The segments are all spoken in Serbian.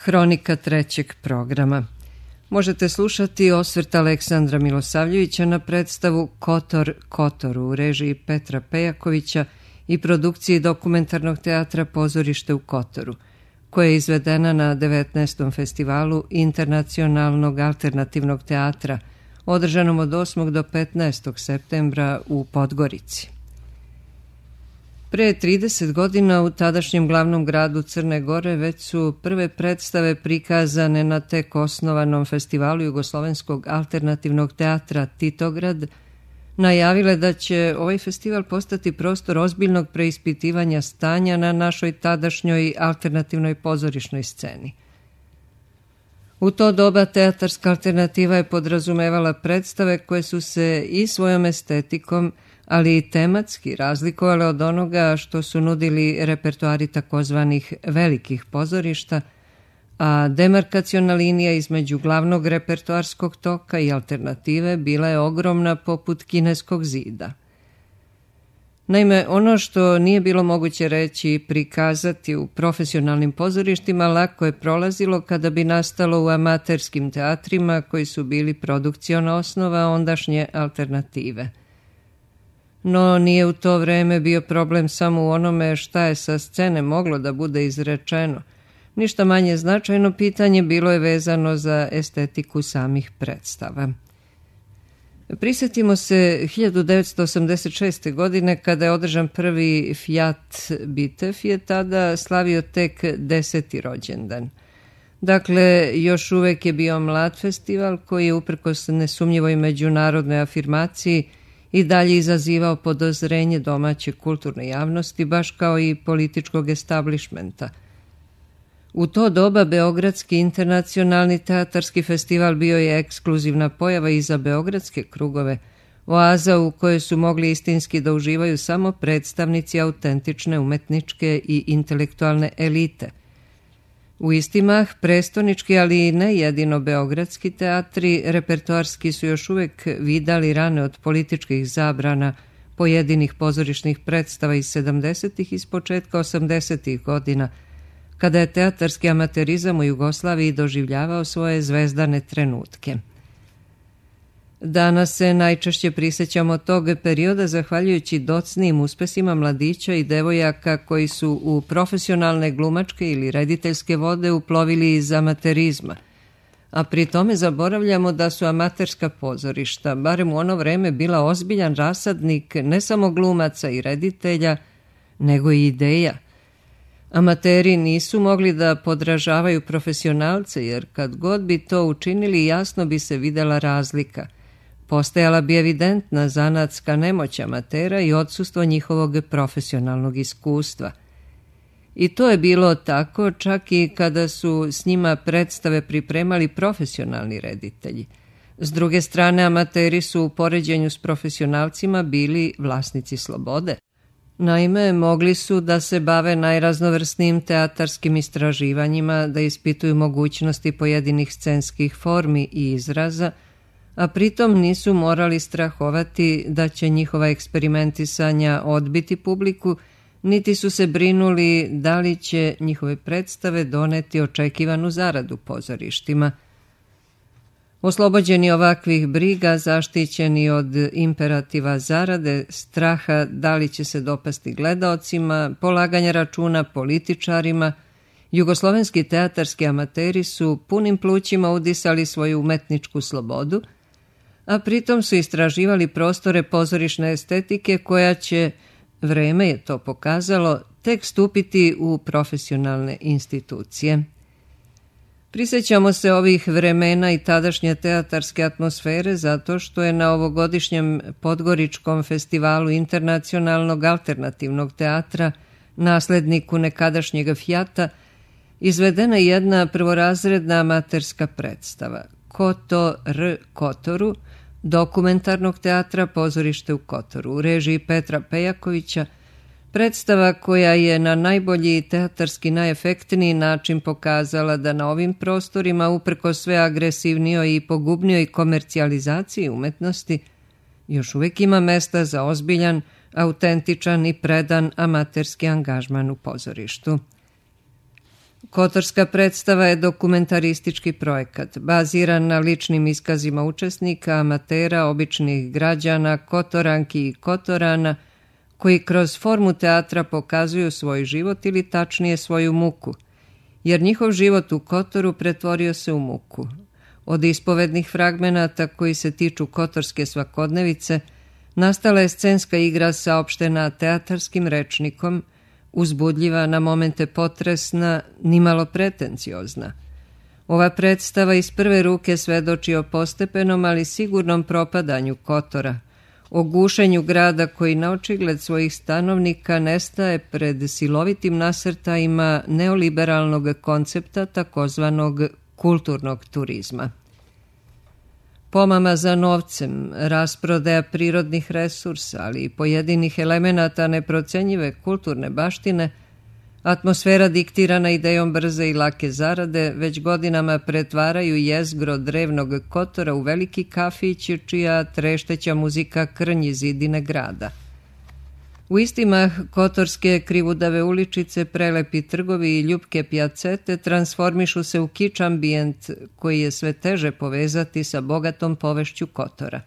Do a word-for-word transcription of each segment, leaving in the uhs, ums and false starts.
Hronika trećeg programa. Možete slušati osvrt Aleksandra Milosavljevića na predstavu Kotor Kotoru u režiji Petra Pejakovića i produkciji dokumentarnog teatra Pozorište u Kotoru, koja je izvedena na devetnaestom festivalu internacionalnog alternativnog teatra, održanom od osmog do petnaestog septembra u Podgorici. Pre trideset godina u tadašnjem glavnom gradu Crne Gore već su prve predstave prikazane na tek osnovanom festivalu Jugoslovenskog alternativnog teatra Titograd najavile da će ovaj festival postati prostor ozbiljnog preispitivanja stanja na našoj tadašnjoj alternativnoj pozorišnoj sceni. U to doba teatarska alternativa je podrazumevala predstave koje su se i svojom estetikom, ali i tematski razlikovale od onoga što su nudili repertoari takozvanih velikih pozorišta, a demarkaciona linija između glavnog repertoarskog toka i alternative bila je ogromna poput kineskog zida. Naime, ono što nije bilo moguće reći i prikazati u profesionalnim pozorištima lako je prolazilo kada bi nastalo u amaterskim teatrima koji su bili produkciona osnova ondašnje alternative. No nije u to vreme bio problem samo u onome šta je sa scene moglo da bude izrečeno. Ništa manje značajno pitanje bilo je vezano za estetiku samih predstava. Prisjetimo se hiljadu devetsto osamdeset šeste. godine kada je održan prvi Fiat Bitev je tada slavio tek deseti rođendan. Dakle, još uvek je bio mlad festival koji je uprkos nesumnjivoj međunarodnoj afirmaciji i dalje izazivao podozrenje domaće kulturne javnosti, baš kao i političkog establishmenta. U to doba Beogradski internacionalni teatarski festival bio je ekskluzivna pojava i za beogradske krugove, oaza u kojoj su mogli istinski da uživaju samo predstavnici autentične umetničke i intelektualne elite. U isti mah, prestonički, ali i ne jedino beogradski teatri, repertoarski su još uvek vidali rane od političkih zabrana pojedinih pozorišnih predstava iz sedamdesetih i s početka osamdesetih godina, kada je teatarski amaterizam u Jugoslaviji doživljavao svoje zvezdane trenutke. Danas se najčešće prisjećamo tog perioda zahvaljujući docnijim uspesima mladića i devojaka koji su u profesionalne glumačke ili rediteljske vode uplovili iz amaterizma, a pri tome zaboravljamo da su amaterska pozorišta, barem u ono vreme, bila ozbiljan rasadnik ne samo glumaca i reditelja, nego i ideja. Amateri nisu mogli da podražavaju profesionalce, jer kad god bi to učinili jasno bi se videla razlika. Postajala bi evidentna zanatska nemoć amatera i odsustvo njihovog profesionalnog iskustva. I to je bilo tako čak i kada su s njima predstave pripremali profesionalni reditelji. S druge strane, amateri su u poređenju s profesionalcima bili vlasnici slobode. Naime, mogli su da se bave najraznovrsnijim teatarskim istraživanjima, da ispituju mogućnosti pojedinih scenskih formi i izraza, a pritom nisu morali strahovati da će njihova eksperimentisanja odbiti publiku, niti su se brinuli da li će njihove predstave doneti očekivanu zaradu pozorištima. Oslobođeni ovakvih briga, zaštićeni od imperativa zarade, straha da li će se dopasti gledaocima, polaganja računa političarima, jugoslovenski teatarski amateri su punim plućima udisali svoju umetničku slobodu, a pritom su istraživali prostore pozorišne estetike koja će, vreme je to pokazalo, tek stupiti u profesionalne institucije. Prisjećamo se ovih vremena i tadašnje teatarske atmosfere zato što je na ovogodišnjem Podgoričkom festivalu internacionalnog alternativnog teatra, nasledniku nekadašnjega Fijata, izvedena jedna prvorazredna amaterska predstava Kotor Kotoru, dokumentarnog teatra Pozorište u Kotoru u režiji Petra Pejakovića, predstava koja je na najbolji teatarski najefektniji način pokazala da na ovim prostorima, uprko sve agresivnijoj i pogubnijoj komercijalizaciji umetnosti, još uvijek ima mesta za ozbiljan, autentičan i predan amaterski angažman u pozorištu. Kotorska predstava je dokumentaristički projekat, baziran na ličnim iskazima učesnika, amatera, običnih građana, kotoranki i kotorana, koji kroz formu teatra pokazuju svoj život ili tačnije svoju muku, jer njihov život u Kotoru pretvorio se u muku. Od ispovednih fragmenata koji se tiču kotorske svakodnevice nastala je scenska igra saopštena teatarskim rečnikom, uzbudljiva, na momente potresna, nimalo pretenciozna. Ova predstava iz prve ruke svedoči o postepenom, ali sigurnom propadanju Kotora, o gušenju grada koji na očigled svojih stanovnika nestaje pred silovitim nasrtajima neoliberalnog koncepta takozvanog kulturnog turizma. Pomama za novcem, rasprodaja prirodnih resursa, ali i pojedinih elemenata neprocenjive kulturne baštine, atmosfera diktirana idejom brze i lake zarade već godinama pretvaraju jezgro drevnog Kotora u veliki kafić čija trešteća muzika krnji zidine grada. U istimah kotorske krivudave uličice, prelepi trgovi i ljupke pijacete transformišu se u kič ambijent koji je sve teže povezati sa bogatom povešću Kotora.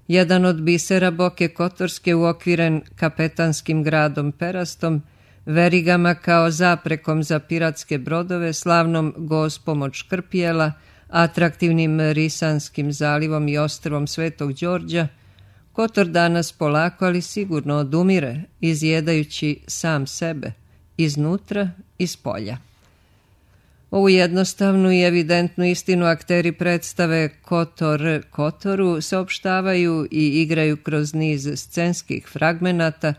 Jedan od bisera Boke Kotorske uokviren kapetanskim gradom Perastom, verigama kao zaprekom za piratske brodove, slavnom gospom od Škrpijela, atraktivnim Risanskim zalivom i ostrvom Svetog Đorđa, Kotor danas polako, ali sigurno odumire, izjedajući sam sebe, iznutra i spolja. Ovu jednostavnu i evidentnu istinu akteri predstave Kotor Kotoru saopštavaju i igraju kroz niz scenskih fragmenata,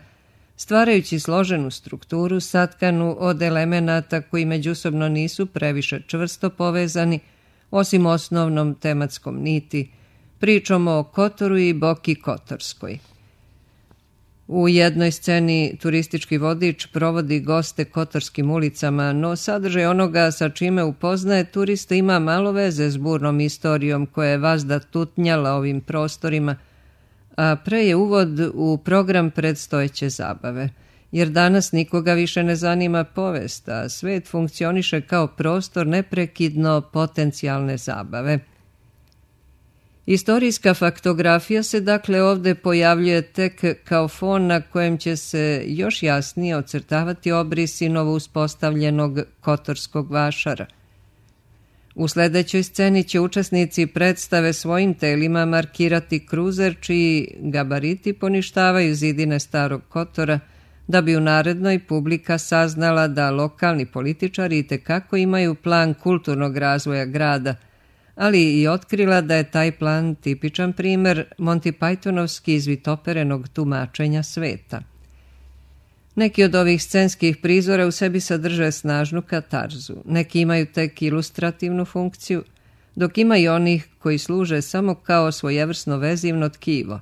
stvarajući složenu strukturu satkanu od elemenata koji međusobno nisu previše čvrsto povezani, osim osnovnom tematskom niti, pričom o Kotoru i Boki Kotorskoj. U jednoj sceni turistički vodič provodi goste kotorskim ulicama, no sadržaj onoga sa čime upoznaje turiste ima malo veze s burnom istorijom koja je vazda tutnjala ovim prostorima, a pre je uvod u program predstojeće zabave, jer danas nikoga više ne zanima povest, a svet funkcioniše kao prostor neprekidno potencijalne zabave. Istorijska faktografija se dakle ovde pojavljuje tek kao fon na kojem će se još jasnije ocrtavati obrisi novo uspostavljenog kotorskog vašara. U sledećoj sceni će učesnici predstave svojim telima markirati kruzer čiji gabariti poništavaju zidine starog Kotora, da bi u narednoj publika saznala da lokalni političari itekako imaju plan kulturnog razvoja grada, ali i otkrila da je taj plan tipičan primer Monty Pythonovski izvitoperenog tumačenja sveta. Neki od ovih scenskih prizora u sebi sadrže snažnu katarzu, neki imaju tek ilustrativnu funkciju, dok ima i onih koji služe samo kao svojevrsno vezivno tkivo.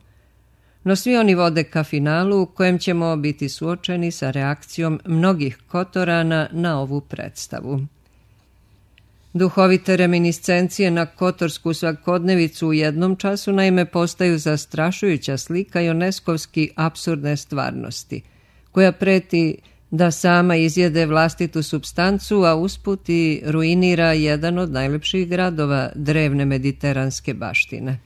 No svi oni vode ka finalu u kojem ćemo biti suočeni sa reakcijom mnogih Kotorana na ovu predstavu. Duhovite reminiscencije na kotorsku svakodnevicu u jednom času naime postaju zastrašujuća slika ioneskovski apsurdne stvarnosti, koja preti da sama izjede vlastitu supstancu, a usput i ruinira jedan od najlepših gradova drevne mediteranske baštine.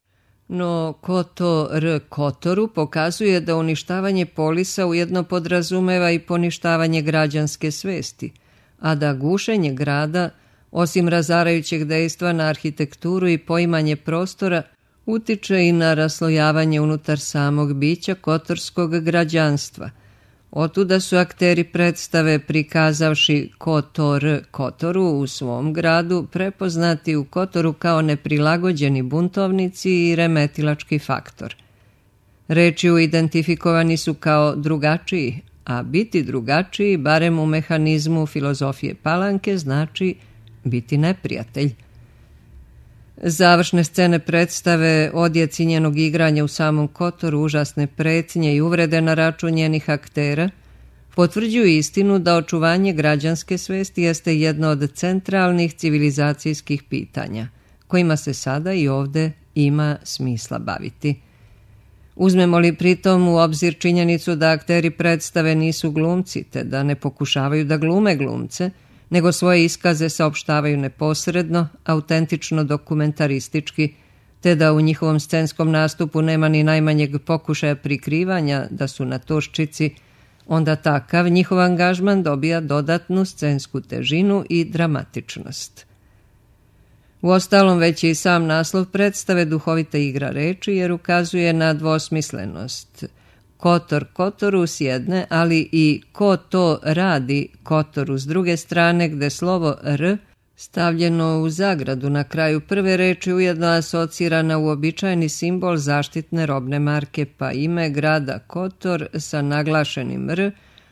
No Kotor Kotoru pokazuje da uništavanje polisa ujedno podrazumeva i poništavanje građanske svesti, a da gušenje grada, osim razarajućeg dejstva na arhitekturu i poimanje prostora, utiče i na raslojavanje unutar samog bića kotorskog građanstva. Otuda su akteri predstave, prikazavši Kotor Kotoru u svom gradu, prepoznati u Kotoru kao neprilagođeni buntovnici i remetilački faktor. Rečju identifikovani su kao drugačiji, a biti drugačiji, barem u mehanizmu filozofije Palanke, znači biti neprijatelj. Završne scene predstave, odjeci njenog igranja u samom Kotoru, užasne pretnje i uvrede na račun njenih aktera, potvrđuju istinu da očuvanje građanske svesti jeste jedno od centralnih civilizacijskih pitanja, kojima se sada i ovde ima smisla baviti. Uzmemo li pritom u obzir činjenicu da akteri predstave nisu glumci, te da ne pokušavaju da glume glumce, nego svoje iskaze saopštavaju neposredno, autentično dokumentaristički, te da u njihovom scenskom nastupu nema ni najmanjeg pokušaja prikrivanja da su na toščici, onda takav njihov angažman dobija dodatnu scensku težinu i dramatičnost. Uostalom, već je i sam naslov predstave duhovita igra reči, jer ukazuje na dvosmislenost. Kotor Kotoru s jedne, ali i ko to radi Kotoru s druge strane, gde slovo R stavljeno u zagradu na kraju prve reči ujedno asocira na uobičajeni simbol zaštitne robne marke, pa ime grada Kotor sa naglašenim R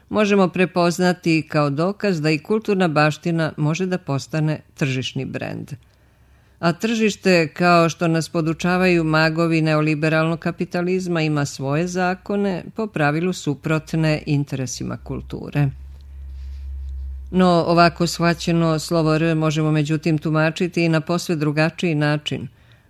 možemo prepoznati kao dokaz da i kulturna baština može da postane tržišni brend. A tržište, kao što nas podučavaju magovi neoliberalnog kapitalizma, ima svoje zakone, po pravilu suprotne interesima kulture. No, ovako shvaćeno slovo R možemo međutim tumačiti i na posve drugačiji način,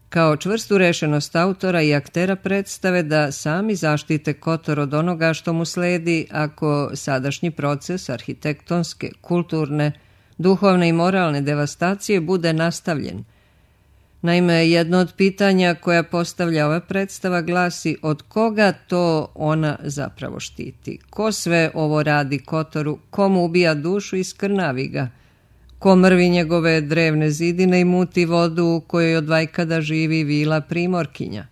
kao čvrstu rešenost autora i aktera predstave da sami zaštite Kotor od onoga što mu sledi ako sadašnji proces arhitektonske, kulturne, duhovne i moralne devastacije bude nastavljen. Naime, jedno od pitanja koja postavlja ova predstava glasi od koga to ona zapravo štiti? Ko sve ovo radi Kotoru? Komu ubija dušu i skrnavi ga? Ko mrvi njegove drevne zidine i muti vodu u kojoj od vajkada živi vila Primorkinja?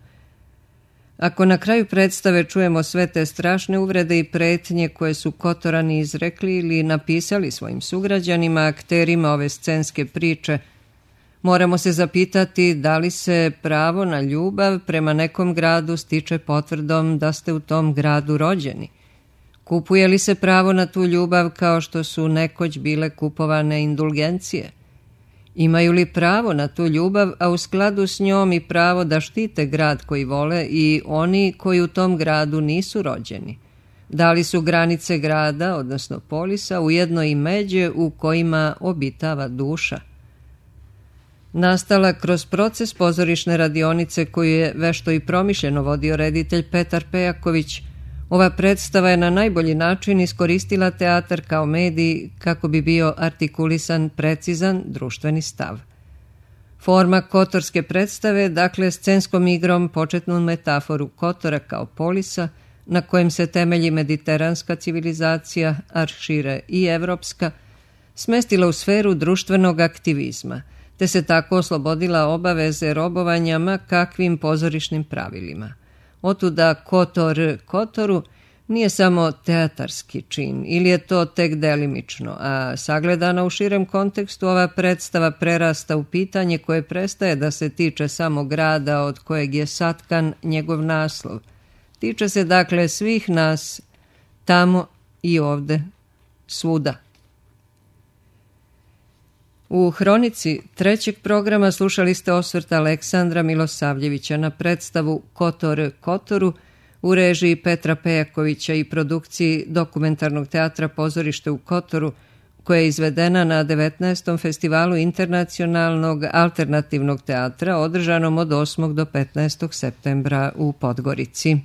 Ako na kraju predstave čujemo sve te strašne uvrede i pretnje koje su Kotorani izrekli ili napisali svojim sugrađanima, akterima ove scenske priče, moramo se zapitati da li se pravo na ljubav prema nekom gradu stiče potvrdom da ste u tom gradu rođeni. Kupuje li se pravo na tu ljubav kao što su nekoć bile kupovane indulgencije? Imaju li pravo na tu ljubav, a u skladu s njom i pravo da štite grad koji vole i oni koji u tom gradu nisu rođeni? Da li su granice grada, odnosno polisa, ujedno i međe u kojima obitava duša? Nastala kroz proces pozorišne radionice koju je vešto i promišljeno vodio reditelj Petar Pejaković, ova predstava je na najbolji način iskoristila teatar kao medij kako bi bio artikulisan precizan društveni stav. Forma kotorske predstave, dakle scenskom igrom početnu metaforu Kotora kao polisa, na kojem se temelji mediteranska civilizacija, a šire i evropska, smestila u sferu društvenog aktivizma, te se tako oslobodila obaveze robovanja ma kakvim pozorišnim pravilima. Otuda Kotor Kotoru nije samo teatarski čin, ili je to tek delimično, a sagledana u širem kontekstu ova predstava prerasta u pitanje koje prestaje da se tiče samo grada od kojeg je satkan njegov naslov. Tiče se dakle svih nas, tamo i ovde, svuda. U hronici trećeg programa slušali ste osvrt Aleksandra Milosavljevića na predstavu Kotor Kotoru u režiji Petra Pejakovića i produkciji dokumentarnog teatra Pozorište u Kotoru, koja je izvedena na devetnaestom festivalu internacionalnog alternativnog teatra održanom od osmog do petnaestog septembra u Podgorici.